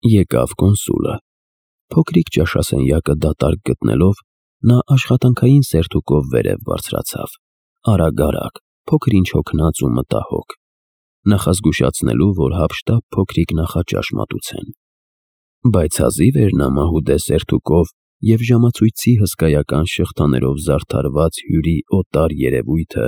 Եկավ կոնսուլը։ Փոքրիկ ճաշասենյակը դատարկ գտնելով, նա աշխատանքային սերթուկով վերև բարձրացավ, արագ, փոքր-ինչ հոգնած ու մտահոգ, նախազգուշացնելու, որ հափշտապ փոքրիկ նախաճաշ մատուցեն։ Բայց հազիվ էր նա մահուդե սերթուկով և ժամացույցի հսկայական շղթաներով զարդարված հյուրի օտար երևույթը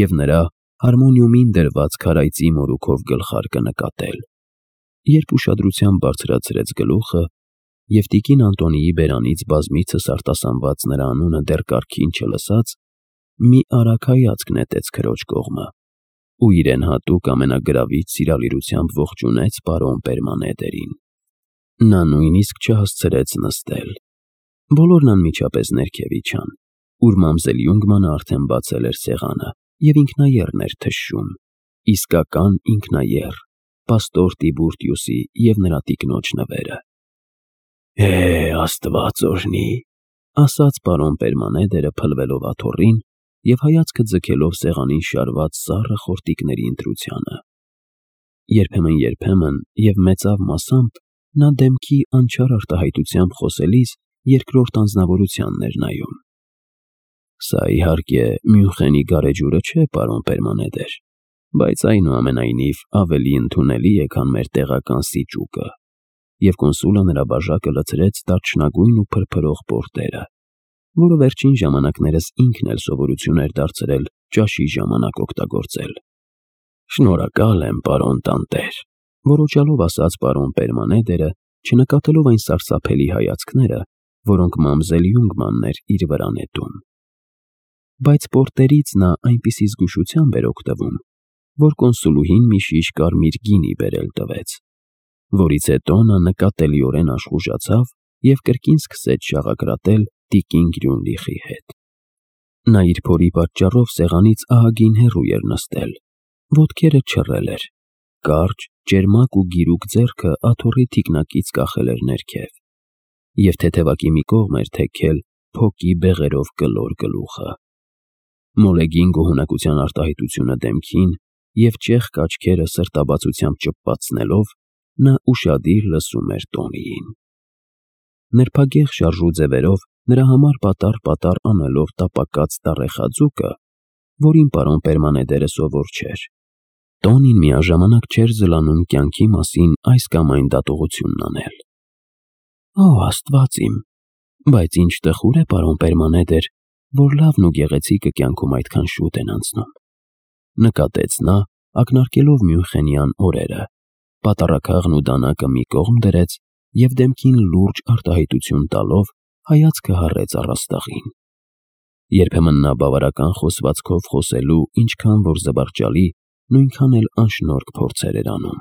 և նրա հարմոնիումին դրված քարայծի մորուքով գլխարկը նկատել, երբ ուշադրությամբ բարձրացրեց գլուխը և տիկին Անտոնիի բերանից բազմիցս արտասանված նրա անունը դեռ կարգին չլսած, մի արագ հայացք նետեց քրոջ կողմը ու իրեն հատուկ ամենագրավիչ սիրալիրությամբ ողջունեց պարոն Պերմանեդերին։ Նա նույնիսկ չհասցրեց նստել։ Բոլորն անմիջապես ներքև իջան, ուր մամզել Յունգմանը արդեն բացել էր սեղանը և ինքնաեռն էր թշում, իսկական ինքնաեռ, պաստոր Տիբուրտիուսի և նրա տիկնոջ նվերը։ Աստված օրհնի, ասաց պարոն Պերմանեդերը փլվելով աթոռին և հայացքը ձգելով սեղանին շարված սառը խորտիկների ընտրությանը։ Երբեմն և մեծավ մասամբ նա դեմքի անչափ արտահայտությամբ խոսելիս երկրորդ անձնավորությանն էր նայում։ Սա իհարկե Մյունխենի գարեջուրը չէ, պարոն Պերմանեդեր, բայց այնուամենայնիվ ավելի ընդունելի է, քան մեր տեղական սիճուկը, և կոնսուլը նրա բաժակը լցրեց դարչնագույն ու փրփրող պորտերը, որը վերջին ժամանակներս ինքն էլ սովորություն էր դարձրել ճաշի ժամանակ օգտագործել։ Շնորհակալ եմ, պարոն տանտեր, որոճալով ասաց պարոն Պերմանեդերը, չնկատելով այն սարսափելի հայացքները, որոնք մամզել Յունգմանն էր իր վրա նետում։ Բայց պորտերից նա այնպիսի զգուշությամբ էր օգտվում, որ կոնսուլուհին մի շիշ կարմիր գինի բերել տվեց, որից հետո նա նկատելիորեն աշխուժացավ և կրկին սկսեց շաղակրատել տիկին Գրյունլիխի հետ։ Նա իր փորի պատճառով սեղանից ահագին հեռու էր նստել, ոտքերը չռել էր, կարճ, ճերմակ ու գիրուկ ձեռքը աթոռի թիկնակից կախել էր ներքև և թեթևակի մի կողմ էր թեքել փոկի բեղերով կլոր գլուխը։ Մոլեգին գոհունակության արտահայտությունը դեմքին և ճեղք աչքերը սրտաբացությամբ ճպպացնելով, նա ուշադիր լսում էր Տոնիին։ Նրբագեղ շարժու ձևերով նրա համար պատառ անելով տապակած տառեխաձուկը, որին պարոն Պերմանեդերը սովոր չէր, Տոնին միաժամանակ չէր զլանում կյանքի մասին այս կամ այն դատողությունն անել։ Աստված իմ, բայց ինչ տխուր է, պարոն Պերմանեդեր, որ լավն ու գեղեցիկը կյանքում այդքան շուտ են անցնում, նկատեց նա, ակնարկելով Մյունխենյան օրերը, պատառաքաղն ու դանակը մի կողմ դրեց և դեմքին լուրջ արտահայտություն տալով հայացքը հառեց առաստաղին։ Երբեմն նա բավարարական խոսվածքով խոսելու ինչքան որ զվարճալի, նույնքան էլ անշնորհք փորձեր էր անում։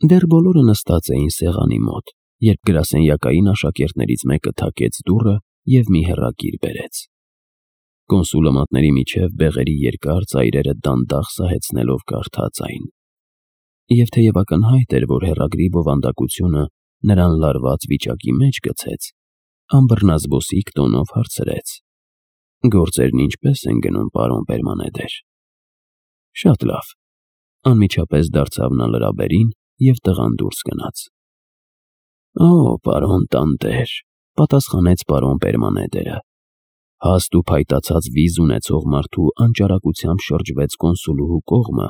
Դեռ բոլորը նստած էին սեղանի մոտ, երբ գրասենյակային աշակերտներից մեկը թակեց դուռը և մի հեռագիր բերեց։ Կոնսուլը մատների միջև բեղերի երկար ծայրերը դանդաղ սահեցնելով կարդաց այն։ Եվ թեև ակնհայտ էր, որ հեռագրի բովանդակությունը նրան լարված վիճակի մեջ գցեց, անբռնազբոսիկ տոնով հարցրեց. Գործերն ինչպե՞ս են գնում, պարոն Պերմանեդեր։ Շատ լավ, անմիջապես դարձավ նա լրաբերին և տղան դուրս գնաց։ Պարոն տանտեր, պատասխանեց պարոն Պերմանեդերը։ Հաստ ու փայտացած վիզ ունեցող մարդու անճարակությամբ շրջվեց կոնսուլուհու կողմը,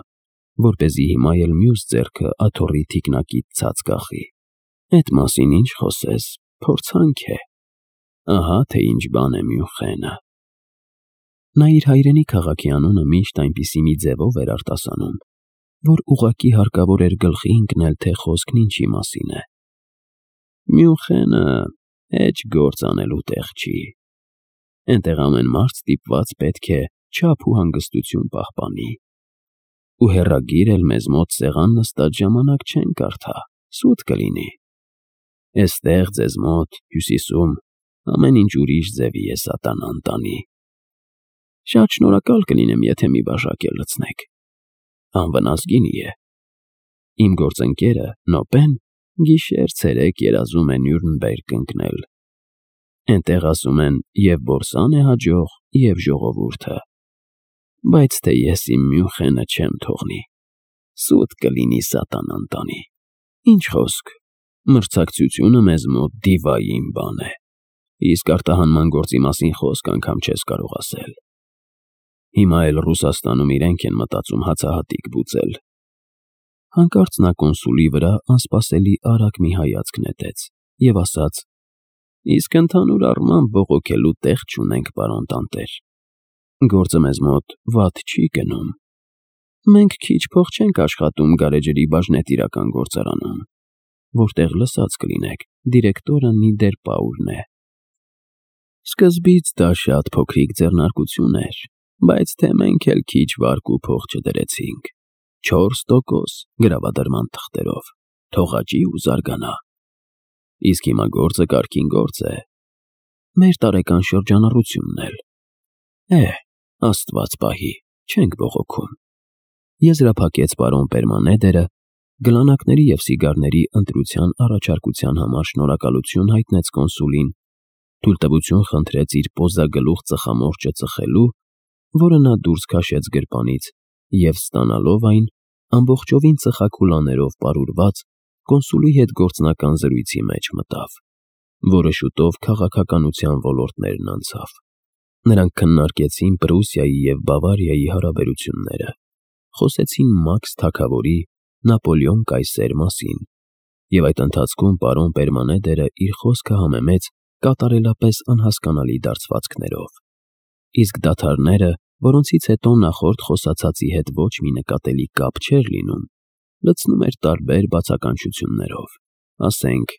որպեսզի հիմա էլ մյուս ձեռքը աթոռի թիկնակից ցած կախի։ Էդ մասին ինչ խոսես, փորձանք է։ Ահա թե ինչ բան է Մյունխենը։ Նա իր հայրենի քաղաքի անունը միշտ այնպիսի մի ձևով էր արտասանում, որ ուղղակի հարկավոր էր գլխի ընկնել, թե խոսքն ինչի մասին է։ Մյունխենը հեչ գործ անելու տեղ չի։ Էնտեղ ամեն մարդ ստիպված պետք է չափ ու հանգստություն պահպանի։ Ու հեռագիր էլ մեզ մոտ սեղան նստած ժամանակ չեն կարդա, սուտ կլինի։ Էստեղ ձեզ մոտ, հյուսիսում, ամեն ինչ ուրիշ ձևի է սատանան տանի։ Շատ շնորհակալ կլինեմ, եթե մի բաժակ էլ լցնեք։ Անվնաս գինի է։ Իմ գործընկերը Նոպեն գիշեր-ցերեկ երազում է Նյուրնբերգ ընկնել։ Էնտեղ ասում են և բորսան է հաջող, և ժողովուրդը։ Բայց թե ես իմ Մյունխենը չեմ թողնի։ Սուտ կլինի սատանան տանի։ Ինչ խոսք, Մրցակցությունը մեզ մոտ դիվային բան է, իսկ արտահանման գործի մասին խոսք անգամ չես կարող ասել։ Հիմա էլ Ռուսաստանում իրենք են մտածում հացահատիկ բուծել։ Հանկարծ նա կոնսուլի վրա անսպասելի արագ մի հայացք նետեց և ասաց. Իսկ ընդհանուր առմամբ բողոքելու տեղ չունենք, պարոն տանտեր։ Գործը մեզ մոտ վատ չի գնում։ Մենք քիչ փող չենք աշխատում գարեջրի բաժնետիրական գործարանում, որտեղ լսած կլինեք, դիրեկտորը Նիդերպաուրն է։ Սկզբից դա շատ փոքրիկ ձեռնարկություն էր, բայց թե մենք էլ քիչ վարկ ու փող չդրեցինք, 4% գրավադրման թղթերով, թողաճի ու զարգանա։ Իսկ հիմա գործը կարգին գործ է։ Մեր տարեկան շրջանառությունն էլ։ Աստված պահի, չենք բողոքում։ Եզրափակեց պարոն Պերմանեդերը, գլանակների և սիգարների ընտրության առաջարկության համար շնորհակալություն հայտնեց կոնսուլին, թույլտվություն խնդրեց իր պոզագլուխ ծխամորճը ծխելու, որը նա դուրս քաշեց գրպանից և ստանալով այն, ամբողջովին ծխաքուլաներով պարուրված, կոնսուլի հետ գործնական զրույցի մեջ մտավ, որը շուտով քաղաքականության ոլորտներն անցավ։ Նրանք քննարկեցին Պրուսիայի և Բավարիայի հարաբերությունները, խոսեցին Մաքս թագավորի, Նապոլեոն կայսեր մասին, և այդ ընթացքում պարոն Պերմանեդերը իր խոսքը համեմեց կատարելապես անհասկանալի դարձվածքներով, իսկ դադարները, որոնցից հետո նախորդ խոսացածի հետ ոչ մի նկատելի կապ չէր լինում, լցնում էր տարբեր բացականչություններով, ասենք,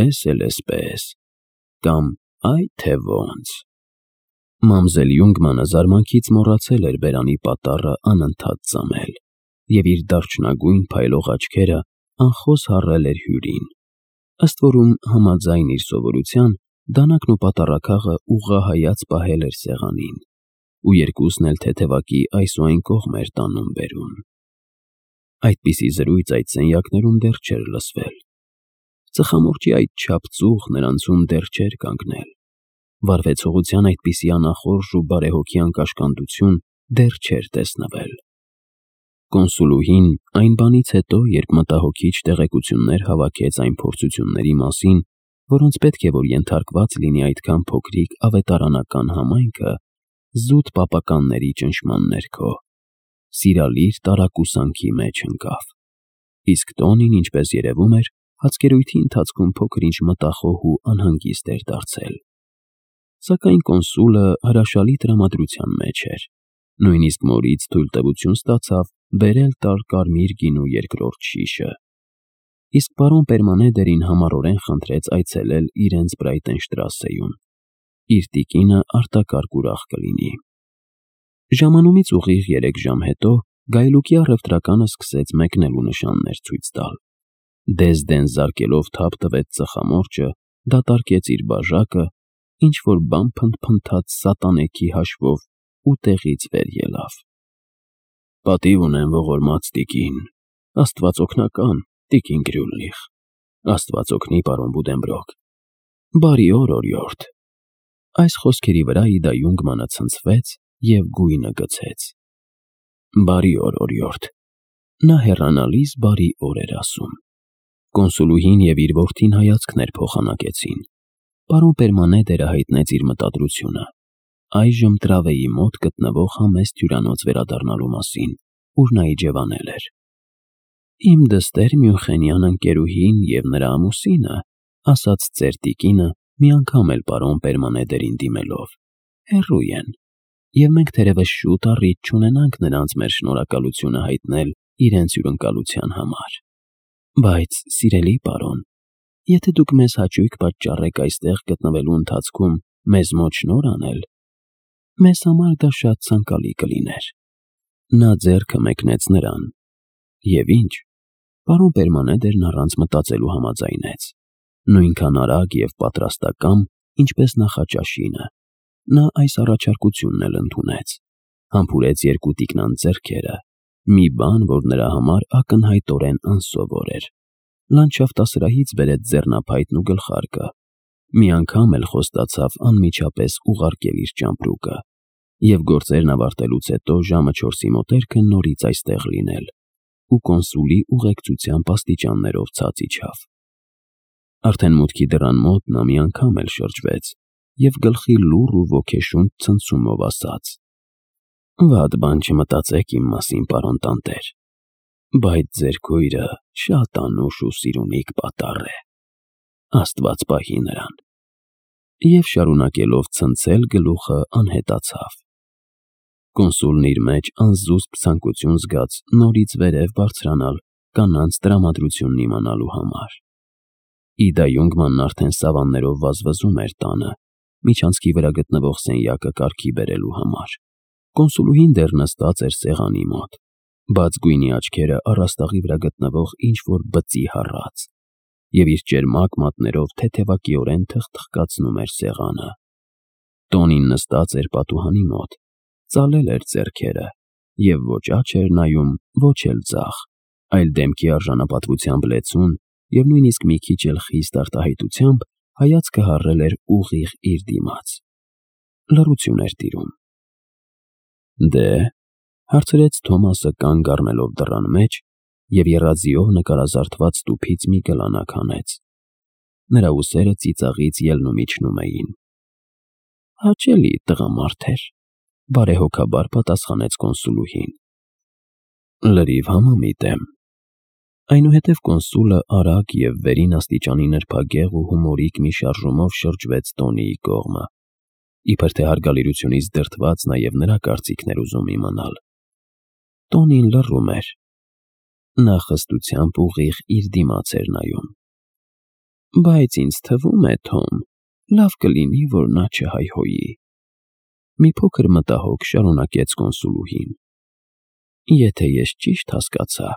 էս էլ էսպես, կամ այ թե ոնց։ Մամզել Յունգմանը զարմանքից մոռացել էր բերանի պատառը անընդհատ ծամել և իր դարչնագույն փայլող աչքերը անխոս հառել էր հյուրին։ Ըստ որում համաձայն իր սովորության, դանակն ու պատառաքաղը ուղղահայաց պահել էր սեղանին, ու երկուսն էլ թեթևակի այս ու այն կողմ էր տանում բերում։ Այդպիսի զրույց այդ սենյակներում դեռ չէր լսվել։ Ծխամորճի այդչափ ծուխ նրանցում դեռ չէր կանգնել։ Վարվեցողության այդպիսի անախորժ ու բարեհոգի անկաշկանդություն դեռ չէր տեսնվել։ Կոնսուլուհին այն բանից հետո, երբ մտահոգիչ տեղեկություններ հավաքեց այն փորձությունների մասին, որոնց պետք է որ ենթարկված լինի այդքան փոքրիկ ավետարանական համայնքը, զուտ պապականների ճնշման ներքո, սիրալիր տարակուսանքի մեջ ընկավ։ Իսկ տոնին, ինչպես երևում էր, հացկերույթի ընթացքում փոքր-ինչ մտախոհ ու անհանգիստ էր դարձել։ Սակայն կոնսուլը հրաշալի տրամադրության մեջ էր, նույնիսկ մորից թույլտվություն ստացավ բերել տալ կարմիր գինու երկրորդ շիշը։ Իսկ պարոն Պերմանեդերին համառորեն խնդրեց այցելել իրենց Բրայտենշտրասեում։ Իր տիկինը արտակարգ ուրախ կլինի։ Ժամանումից ուղիղ 3 ժամ հետո գայլուկի առևտրականը սկսեց մեկնելու նշաններ ցույց տալ։ Դեզ-դեն զարկելով թափ տվեց ծխամորճը, դատարկեց իր բաժակը, ինչ-որ բան փնթփնթաց սատանեքի հաշվով ու տեղից վեր ելավ։ Պատիվ ունեմ ողորմած տիկին, Աստված օգնական, տիկին Գրյուլնիխ, Աստված օգնի պարոն Բուդենբրոկ, բարի օր օրիորդ։ Այս խոսքերի վրա Իդա Յունգմանը ցնցվեց և գույնը գցեց։ Բարի օր օրիորդ։ Նա հեռանալիս բարի օր էր ասում։ Կոնսուլուհին և իր որդին հայացքներ փոխանակեցին։ Պարոն Պերմանեդերը հայտնեց իր մտադրությունը, այժմ Տրավեի մոտ գտնվող համեստ հյուրանոց վերադառնալու մասին, ուր նա իջևանել էր։ Իմ դստեր Մյունխենյան ընկերուհին և նրա ամուսինը, ասաց ծեր տիկինը, մի անգամ էլ պարոն Պերմանեդերին դիմելով, հեռու են, և մենք թերևս շուտ առիթ չունենանք նրանց մեր շնորհակալությունը հայտնել իրենց հյուրընկալության համար։ Բայց, սիրելի պարոն, եթե դուք մեզ հաճույք պատճառեք այստեղ գտնվելու ընթացքում մեզ մոտ շնորհ անել, մեզ համար դա շատ ցանկալի կլիներ։ Նա ձեռքը մեկնեց նրան։ Եվ ինչ, պարոն Պերմանեդերն առանց մտածելու համաձայնեց։ Նույնքան արագ և պատրաստակամ, ինչպես նախաճաշինը, նա այս առաջարկությունն էլ ընդունեց, համբուրեց երկու տիկնանց ձեռքերը, մի բան, որ նրա համար ակնհայտորեն անսովոր էր, լանդշաֆտասրահից բերեց ձեռնափայտն ու գլխարկը, մի անգամ էլ խոստացավ անմիջապես ուղարկել իր ճամպրուկը և գործերն ավարտելուց հետո ժամը 4-ի մոտերքը նորից այստեղ լինել, ու կոնսուլի ուղեկցությամբ աստիճաններով ցած իջավ։ Արդեն մուտքի դռան մոտ նա մի անգամ էլ շրջվեց և գլխի լուռ ու ոգեշունչ ցնցումով ասաց. «Վատ բան չմտածեք իմ մասին, պարոն տանտեր, բայց ձեր քույրը շատ անուշ ու սիրունիկ պատառ է, Աստված պահի նրան»։ Եվ շարունակելով ցնցել գլուխը անհետացավ։ Կոնսուլն իր մեջ անզուսպ ցանկություն զգաց նորից վերև բարձրանալ կանանց տրամադրությունն իմանալու համար։ Իդա Յունգմանն արդեն սավաններով վազվզում էր տանը, միջանցքի վրա գտնվող սենյակը կարգի բերելու համար։ Կոնսուլուհին դեռ նստած էր սեղանի մոտ, բաց գույնի աչքերը առաստաղի վրա գտնվող ինչ-որ բծի հառած, և իր ճերմակ մատներով թեթևակիորեն թխթխկացնում էր սեղանը։ Տոնին նստած էր պատուհանի մոտ, ծալել էր ձեռքերը և ոչ աջ էր նայում, ոչ էլ ձախ, այլ դեմքի արժանապատվությամբ լեցուն և նույնիսկ մի քիչ էլ խիստ արտահայտությամբ հայացքը հառել էր ուղիղ իր դիմաց։ Լռություն էր տիրում։ «Դե՞», հարցրեց Թոմասը կանգ առնելով դռան մեջ և եռաձիով նկարազարդված տուփից մի գլանակ հանեց։ Նրա ուսերը ծիծաղից ելնում իջնում էին։ «Հաճելի տղամարդ էր», բարեհոգաբար պատասխանեց կոնսուլուհին։ «Լրիվ համամիտ եմ»։ Այնուհետև կոնսուլը արագ և վերին աստիճանի նրբագեղ ու հումորիկ մի շարժումով շրջվեց Տոնիի կողմը, իբր թե հարգալիրությունից դրդված նաև նրա կարծիքն էր ուզում իմանալ։ Տոնին լռում էր։ Նա խստությամբ ուղիղ իր դիմաց էր նայում։ «Բայց ինձ թվում է, Թոմ, լավ կլինի, որ նա չհայհոյի», մի փոքր մտահոգ շարունակեց կոնսուլուհին։ «Եթե ես ճիշտ հասկացա,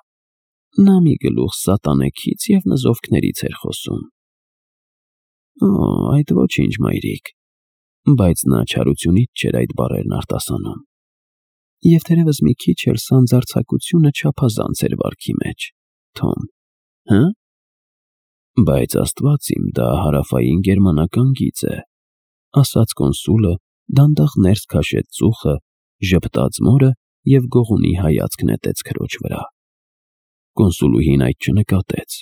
նա մի գլուխ սատանեքից և նզովքներից էր խոսում»։ «Օ, այդ ոչինչ, մայրիկ», բայց նա չարությունից չէր այդ բառերն արտասանում։ Եվ թերևս մի քիչ էլ սանձարձակությունը չափազանց էր վարքի մեջ, Թոմ, հը՞։ «Բայց Աստված իմ, դա հարավային գերմանական գիծ է», ասաց կոնսուլը, դանդաղ ներս քաշեց ծուխը, ժպտաց մորը և գողունի հայացք նետեց քրոջ վրա։ Կոնսուլուհին այդ չնկատեց։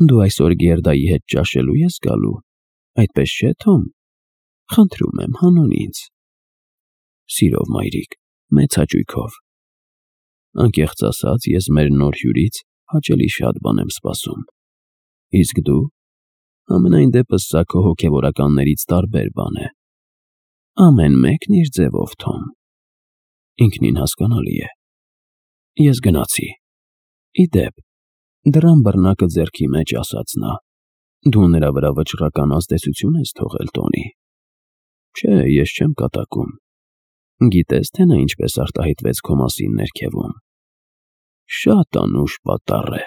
«Դու այսօր Գերդայի հետ ճաշելու ես գալու, այդպես չէ՞, Թոմ։ Խնդրում եմ, հանուն ինձ»։ «Սիրով, մայրիկ, մեծ հաճույքով։ Անկեղծ ասած, ես մեր նոր հյուրից հաճելի շատ բան եմ սպասում։ Իսկ դու։ Համենայն դեպս սա քո հոգևորականներից տարբեր բան է։ Ամեն մեկն իր ձևով, Թոմ։ Ինքնին հասկանալի է։ Ես գնացի։ Ի դեպ, դռան բռնակը ձեռքի մեջ ասաց նա, դու նրա վրա վճռական ազդեցություն ես թողել, Տոնի։ Չէ, ես չեմ կատակում։ Գիտես, թե նա ինչպես արտահայտվեց քո մասին ներքևում։ Շատ անուշ պատառ է։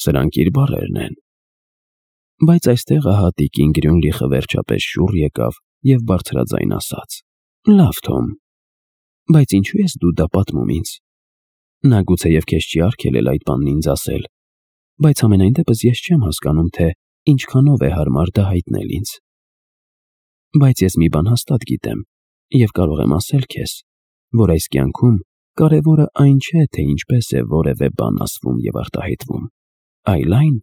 Սրանք իր բառերն են։ Բայց այստեղ ահա տիկին Գրյունլիխը վերջապես շուռ եկավ և բարձրաձայն ասաց. «Լավ, Թոմ, բայց ինչու ես դու դա պատմում ինձ։ Նա գուցեև քեզ չի արգելել այդ բանն ինձ ասել, բայց համենայն դեպս ես չեմ հասկանում, թե ինչքանով է հարմար դա հայտնել ինձ։ Բայց ես մի բան հաստատ գիտեմ և կարող եմ ասել քեզ, որ այս կյանքում կարևորը այն չէ, թե ինչպես է որևէ բան ասվում և արտահայտվում, այլ այն,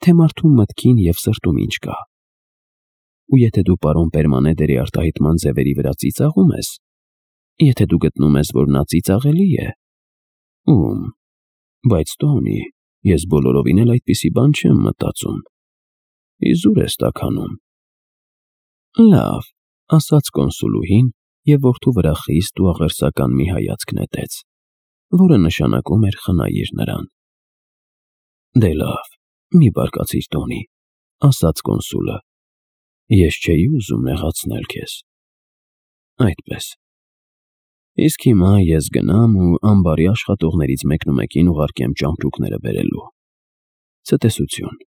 թե մարդու մտքին և սրտում ինչ կա։ Ու եթե դու պարոն Պերմանեդերի արտահայտման ձևերի վրա ծիծաղում ես, եթե դու գտնում ես, որ նա ծիծաղելի է, ում, բայց Տոնի, ես բոլորովին էլ այդպիսի բան չեմ մտածում։ Իզուր ես տաքանում»։ «Լավ», ասաց կոնսուլուհին և որդու վրա խիստ ու աղերսական մի հայացք նետեց, որը նշանակում էր խնայիր նրան։ «Դե լավ, մի բարկացիր, Տոնի», ասաց կոնսուլը։ «Ես չէի ուզում նեղացնել քեզ։ Այդպես։ Իսկ հիմա ես գնամ ու ամբարի աշխատողներից մեկնումեկին ուղարկեմ ճամպրուկները բերելու։ Ցտեսություն»։